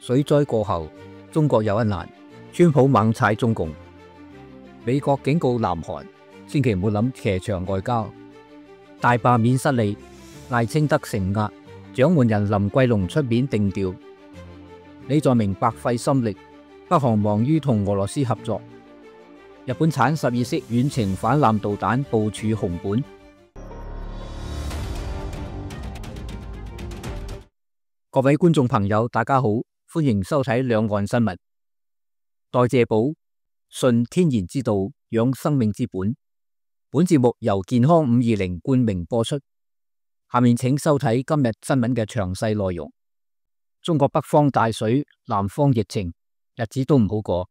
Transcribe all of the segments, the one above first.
水災過後，中國有一難，川普猛踩中共。美國警告南韓，千祈唔好諗騎牆外交。大罷免失利，賴清德承壓，掌門人林貴龍出面定調。李在明白費心力，北韓忙於同俄羅斯合作。日本產12式遠程反艦導彈部署紅本。各位觀眾朋友，大家好，歡迎收睇兩岸新聞。代謝寶，順天然之道，養生命之本。本節目由健康520冠名播出。下面請收睇今日新聞嘅詳細內容。中國北方大水，南方疫情，日子都唔好過。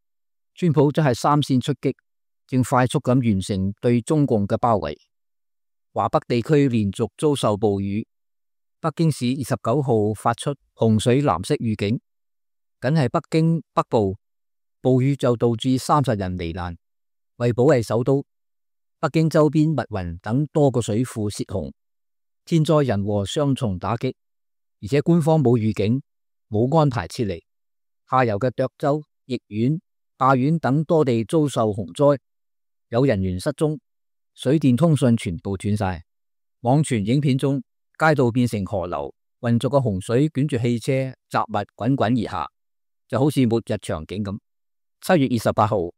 川普真係三線出擊，正快速咁完成對中共嘅包圍。華北地區連續遭受暴雨。北京市29號發出洪水藍色預警，僅係北京北部暴雨就導致30人罹難。為保衛首都，北京周邊密雲等多個水庫泄洪，天災人禍雙重打擊，而且官方冇預警，冇安排撤離。下游嘅涿州、易縣、灞縣等多地遭受洪災，有人員失蹤，水電通訊全部斷晒。網傳影片中，街道變成河流，渾濁嘅洪水捲住汽車雜物滾滾而下，就好似末日場景咁。7月28號，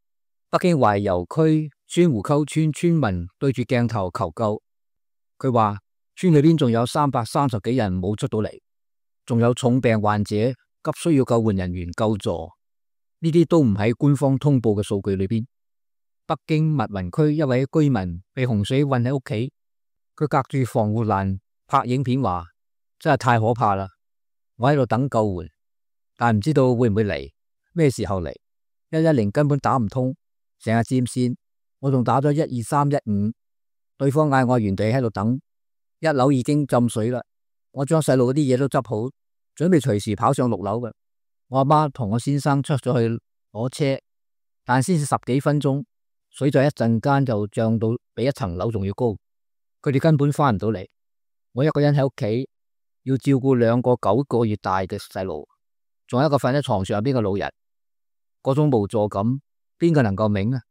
北京懷柔區宣湖溝村村民對住鏡頭求救，佢話村裏邊仲有330幾人冇出到嚟，仲有重病患者急需要救援人員救助，呢啲都唔喺官方通報嘅數據裏邊。北京密雲區一位居民被洪水困喺屋企，佢隔住防護欄拍影片話，真係太可怕啦！我喺度等救援，但唔知道會唔會嚟，咩時候嚟？110根本打唔通，成日佔線。我仲打咗12315，對方嗌我原地喺度等。1樓已經浸水啦，我將細路嗰啲嘢都執好，準備隨時跑上6樓嘅。我阿媽同我先生出咗去攞車，但先至10幾分鐘，水在一陣間就漲到比一層樓仲要高，佢哋根本翻唔到嚟。我一個人喺屋企，要照顧2個9個月大嘅細路，仲有一個瞓喺床上邊嘅老人，嗰種無助感，邊個能夠明啊？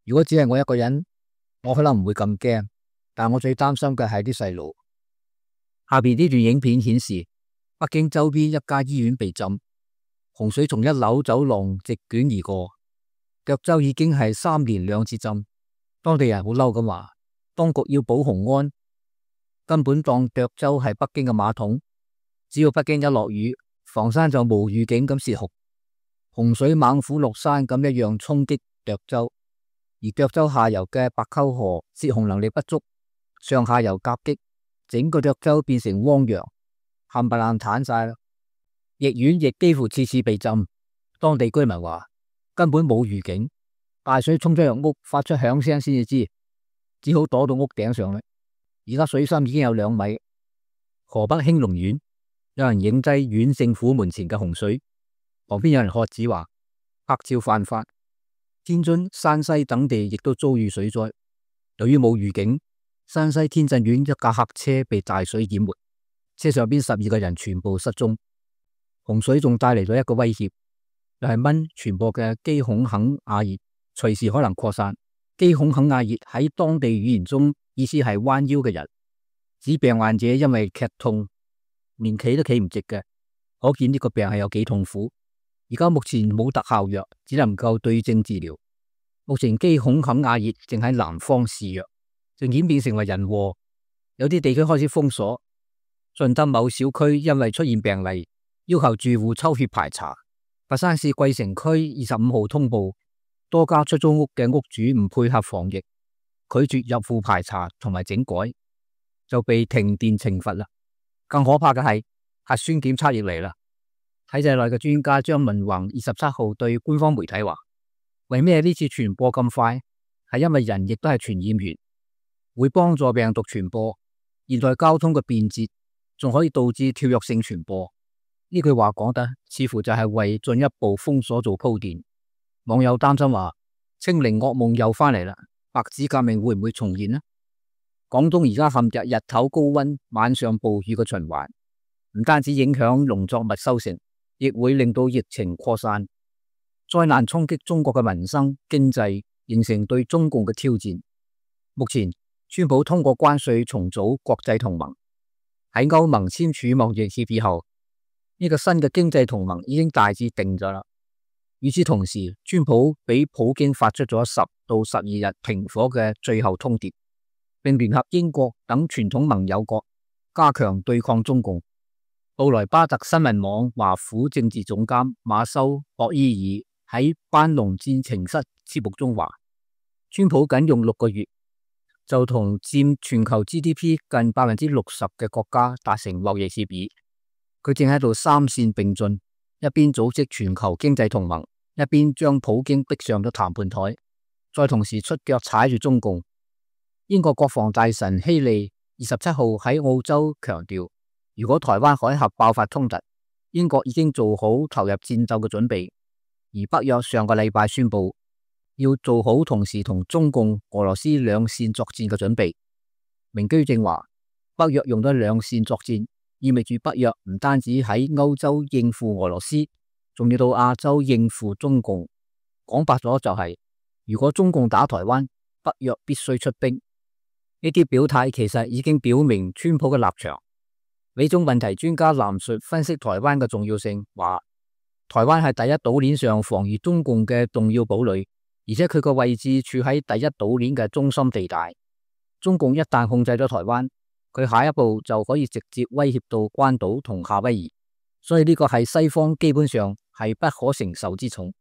如果只係我一個人，我可能唔會咁驚，但我最擔心嘅係啲細路。下邊呢段影片顯示，北京周邊一家醫院被浸，洪水從1樓走廊席捲而過。涿州已經係3連2次浸，當地人好嬲咁話，當局要保洪安。根本當涿州係北京嘅馬桶，只要北京一落雨，房山就無預警咁泄洪，洪水猛虎落山咁一樣衝擊涿州。而涿州下游嘅白溝河泄洪能力不足，上下游夾擊，整個涿州變成汪洋，冚唪唥癱晒啦。易縣亦幾乎次次被浸，當地居民話根本冇預警，大水衝咗入屋，發出響聲先至知，只好躲到屋頂上啦。而家水深已經有2米。河北興隆縣有人影低縣政府門前嘅洪水，旁邊有人喝止話拍照犯法。天津、山西等地亦都遭遇水災，由於冇預警，山西天鎮縣一架客車被大水淹沒，車上邊12個人全部失蹤。洪水仲帶嚟咗一個威脅，就係蚊傳播嘅基孔肯亞熱，隨時可能擴散。基孔肯亞熱喺當地語言中意思係彎腰嘅人，指病患者因為劇痛連企都企唔直嘅，可見呢個病係有幾痛苦。而家目前冇特效藥，只能夠對症治療。目前基孔肯亞熱正喺南方肆虐，正演變成為人禍，有啲地區開始封鎖。順德某小區因為出現病例，要求住戶抽血排查。佛山市桂城區25號通報，多家出租屋嘅屋主唔配合防疫，拒絕入戶排查同埋整改，就被停電懲罰啦。更可怕嘅係核酸檢測亦嚟啦。體制內嘅專家張文宏27號對官方媒體話，為咩呢次傳播咁快？係因為人亦都係傳染源，會幫助病毒傳播。現代交通嘅便捷仲可以導致跳躍性傳播。呢句話講得似乎就係為進一步封鎖做鋪墊。網友擔心話，清零噩夢又翻嚟啦，白紙革命會唔會重現呢？廣東而家陷入日頭高溫、晚上暴雨嘅循環，唔單止影響農作物收成，亦會令到疫情擴散，災難衝擊中國嘅民生經濟，形成對中共嘅挑戰。目前，川普通過關稅重組國際同盟，喺歐盟簽署貿易協議後，呢個新嘅經濟同盟已經大致定咗啦。與此同時，川普俾普京發出咗10到12日停火嘅最後通牒，並聯合英國等傳統盟友國加強對抗中共。布萊巴特新聞網華府政治總監馬修·博伊爾喺班農戰情室節目中話，川普僅用6個月就同佔全球 GDP 近60%嘅國家達成貿易協議。佢正喺度三線並進，一邊組織全球經濟同盟，一邊將普京逼上咗談判台，再同時出腳踩住中共。英國國防大臣希利27號喺澳洲強調，如果台灣海峽爆發衝突，英國已經做好投入戰鬥嘅準備。而北約上個禮拜宣布，要做好同時同中共、俄羅斯兩線作戰嘅準備。明居正話，北約用咗兩線作戰，意味住北約唔單止喺歐洲應付俄羅斯，仲要到亞洲應付中共。講白咗就係，如果中共打台灣，北約必須出兵。呢啲表態其實已經表明川普嘅立場。美中問題專家藍述分析台灣嘅重要性，話台灣係第一島鏈上防禦中共嘅重要堡壘，而且佢個位置處喺第一島鏈嘅中心地帶。中共一旦控制咗台灣，佢下一步就可以直接威脅到關島同夏威夷，所以呢個係西方基本上係不可承受之重。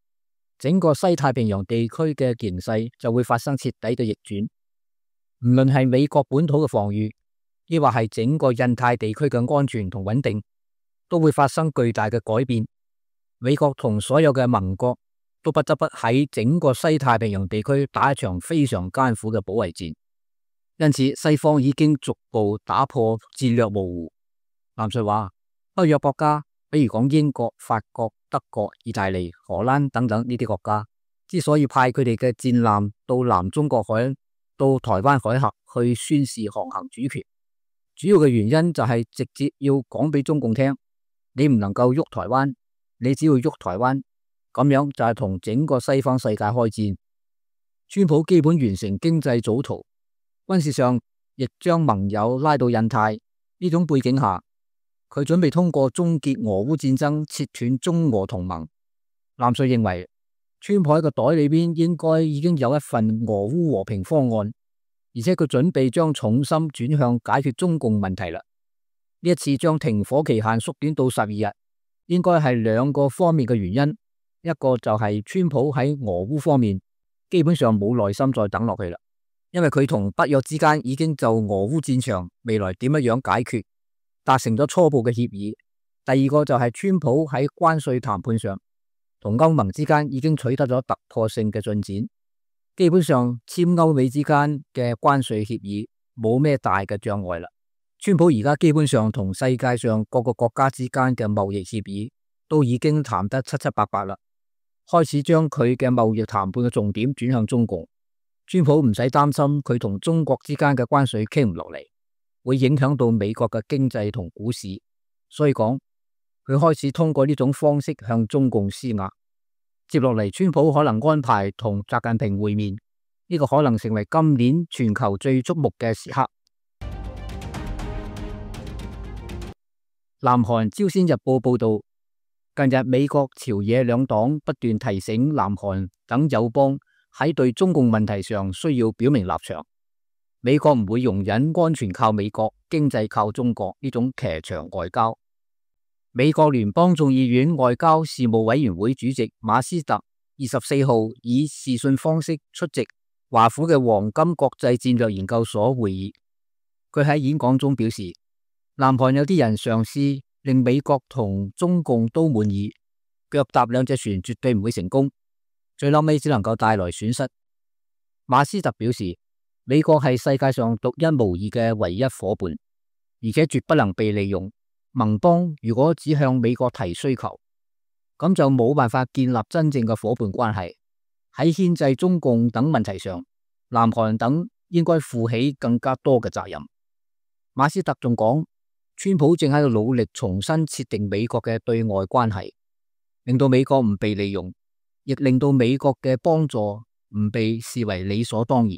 整個西太平洋地區嘅形勢就會發生徹底嘅逆轉，唔論係美國本土嘅防禦，抑或係整個印太地區嘅安全同穩定，都會發生巨大嘅改變。美國同所有嘅盟國都不得不喺整個西太平洋地區打一場非常艱苦嘅保衛戰。因此，西方已經逐步打破戰略模糊。藍述話，北約國家，比如講英國、法國、德國、意大利、荷蘭等等呢啲國家，之所以派佢哋嘅戰艦到南中國海、到台灣海峽去宣示航行主權，主要嘅原因就係直接要講俾中共聽，你唔能夠喐台灣，你只要喐台灣，咁樣就係同整個西方世界開戰。川普基本完成經濟組圖，軍事上亦將盟友拉到印太。呢種背景下，佢準備通過終結俄烏戰爭，切斷中俄同盟。藍述認為，川普喺個袋裏邊應該已經有一份俄烏和平方案，而且佢準備將重心轉向解決中共問題啦。呢一次將停火期限縮短到12日，應該係兩個方面嘅原因。一個就係川普喺俄烏方面基本上冇耐心再等落去啦，因為佢同北約之間已經就俄烏戰場未來點樣解決達成咗初步嘅協議。第二個就係川普喺關稅談判上同歐盟之間已經取得咗突破性嘅進展，基本上簽歐美之間嘅關稅協議冇咩大嘅障礙啦。川普而家基本上同世界上各個國家之間嘅貿易協議都已經談得七七八八啦，開始將佢嘅貿易談判嘅重點轉向中共。川普唔使擔心佢同中國之間嘅關稅傾唔落嚟，會影響到美國嘅經濟同股市，所以講佢開始通過呢種方式向中共施壓。接落嚟，川普可能安排同習近平會面，呢個可能成為今年全球最矚目嘅時刻。南韓朝鮮日報報道，近日美國朝野兩黨不斷提醒南韓等友邦喺對中共問題上需要表明立場。美國唔會容忍安全靠美國、經濟靠中國呢種騎牆外交。美國聯邦眾議院外交事務委員會主席馬斯特24號以視訊方式出席華府嘅黃金國際戰略研究所會議。佢喺演講中表示，南韓有啲人嘗試令美國同中共都滿意，腳踏兩隻船絕對唔會成功，最後尾只能夠帶來損失。馬斯特表示，美國係世界上獨一無二嘅唯一夥伴，而且絕不能被利用。盟邦如果只向美國提需求，咁就冇辦法建立真正嘅夥伴關係。喺牽制中共等問題上，南韓等應該負起更加多嘅責任。馬斯特仲講，川普正喺度努力重新設定美國嘅對外關係，令到美國唔被利用，亦令到美國嘅幫助唔被視為理所當然。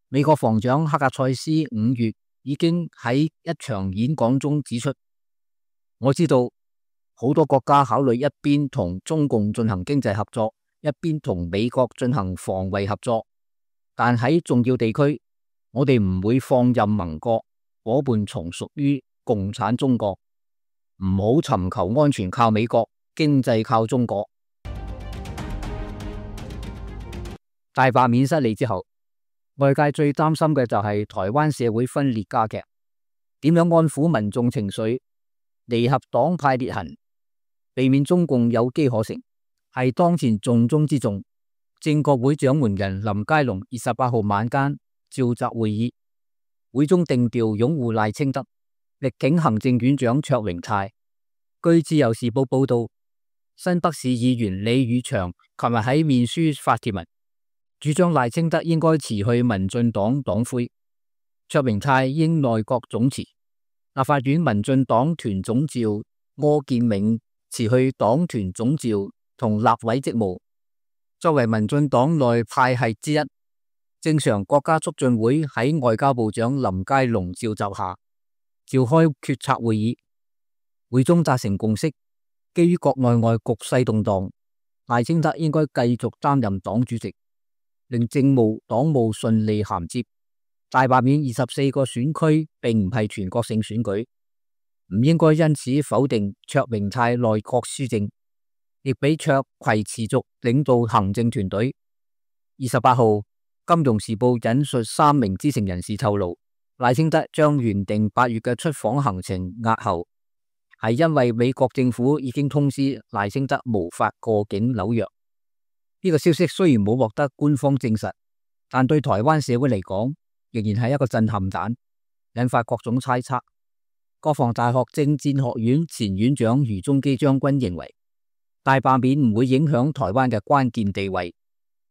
美國防長克格塞斯5月已經喺一場演講中指出，我知道好多國家考慮一邊同中共進行經濟合作，一邊同美國進行防衛合作，但喺重要地區，我哋唔會放任盟國夥伴從屬於共產中國，唔好尋求安全靠美國，經濟靠中國。大罷免失利之後，外界最擔心嘅就係台灣社會分裂加劇，點樣安撫民眾情緒，彌合黨派裂痕，避免中共有機可乘，係當前重中之重。正國會掌門人林佳龍28號晚間召集會議，會中定調擁護賴清德，力挺行政院長卓榮泰。據自由時報報道，新北市議員李宇翔琴日喺面書發帖文，主張賴清德應該辭去民進黨黨魁，卓榮泰應內閣總辭，立法院民進黨團總召柯建銘辭去黨團總召同立委職務。作為民進黨內派系之一，正常國家促進會喺外交部長林佳龍召集下召開決策會議，會中達成共識，基於國內外局勢動盪，賴清德應該繼續擔任黨主席，令政務黨務順利銜接。大罷免24個選區並唔係全國性選舉，唔應該因此否定卓榮泰內閣施政，亦俾卓葵持續領導行政團隊。28號，《金融時報》引述3名知情人士透露，賴清德將原定8月嘅出訪行程押後，係因為美國政府已經通知賴清德無法過境紐約。呢個消息雖然冇獲得官方證實，但對台灣社會嚟講，仍然係一個震撼彈，引發各種猜測。國防大學政戰學院前院長余宗基將軍認為，大罷免唔會影響台灣嘅關鍵地位，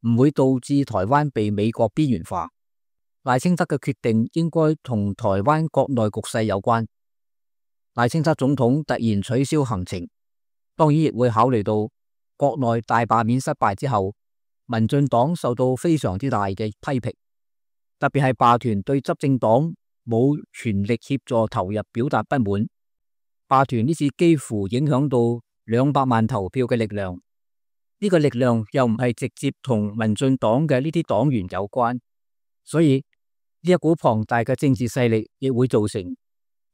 唔會導致台灣被美國邊緣化。賴清德嘅決定應該同台灣國內局勢有關。賴清德總統突然取消行程，當然亦會考慮到國內大罷免失敗之後，民進黨受到非常之大嘅批評，特別係罷團對執政黨冇全力協助投入表達不滿。罷團呢次幾乎影響到200萬投票嘅力量，呢個力量又唔係直接同民進黨嘅呢啲黨員有關，所以呢一股龐大嘅政治勢力亦會造成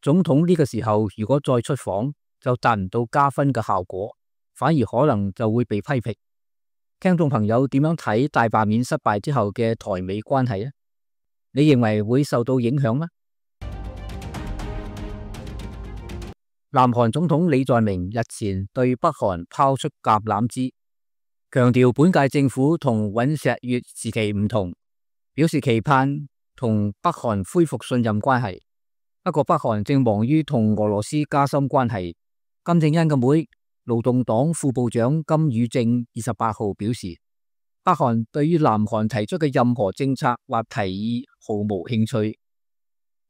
總統呢個時候如果再出訪就達唔到加分嘅效果，反而可能就會被批評。聽眾朋友點樣睇大罷免失敗之後嘅台美關係呢？你認為會受到影響嗎？南韓總統李在明日前對北韓拋出橄欖枝，強調本屆政府同尹錫悅時期唔同，表示期盼同北韓恢復信任關係。不過北韓正忙於同俄羅斯加深關係。金正恩嘅妹，勞動黨副部長金與正28號表示，北韓對於南韓提出嘅任何政策或提議毫無興趣。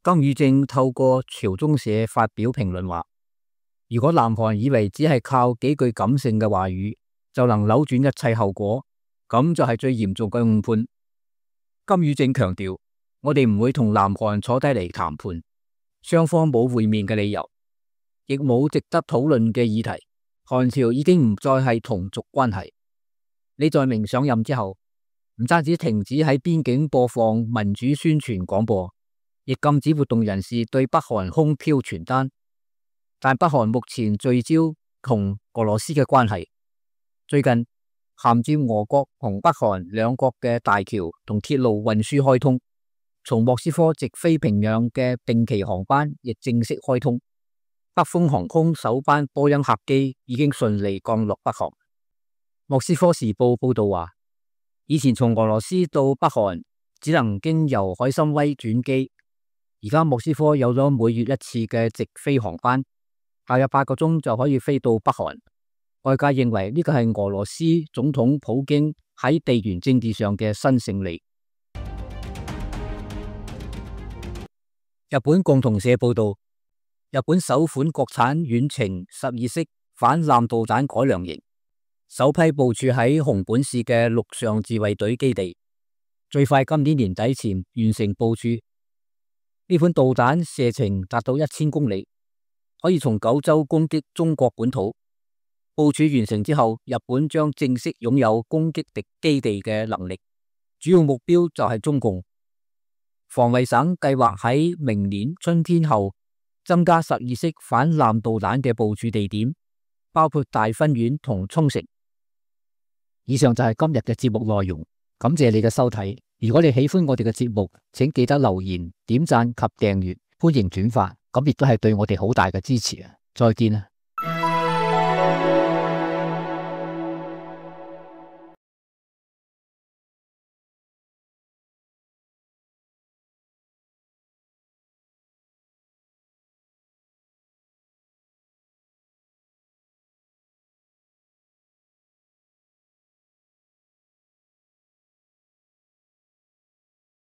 金與正透過朝中社發表評論話，如果南韓以為只係靠幾句感性嘅話語就能扭轉一切後果，咁就係最嚴重嘅誤判。金與正強調，我哋唔會同南韓坐低嚟談判，雙方冇會面嘅理由，亦冇值得討論嘅議題。韓朝已經唔再係同族關係。李在明上任之後，唔單止停止喺邊境播放民主宣傳廣播，亦禁止活動人士對北韓空飄傳單。但北韓目前聚焦同俄羅斯嘅關係，最近銜接俄國同北韓兩國嘅大橋同鐵路運輸開通，從莫斯科直飛平壤嘅定期航班亦正式開通。北風航空首班波音客機已經順利降落北韓。莫斯科時報報道話，以前從俄羅斯到北韓只能經由海參崴轉機，而家莫斯科有咗每月1次嘅直飛航班，大約8個鐘就可以飛到北韓。外界認為呢個係俄羅斯總統普京喺地緣政治上嘅新勝利。日本共同社報道，日本首款國產遠程12式反艦導彈改良型首批部署喺熊本市嘅陸上自衛隊基地，最快今年年底前完成部署。呢款導彈射程達到1000公里，可以從九州攻擊中國本土。部署完成之後，日本將正式擁有攻擊敵基地嘅能力，主要目標就係中共。防衛省計劃喺明年春天後增加12式反艦導彈嘅部署地點，包括大分縣同沖繩。以上就係今日嘅節目內容，感謝你嘅收睇。如果你喜歡我哋嘅節目，請記得留言、點讚及訂閱，歡迎轉發，咁亦都係對我哋好大嘅支持啊！再見啊！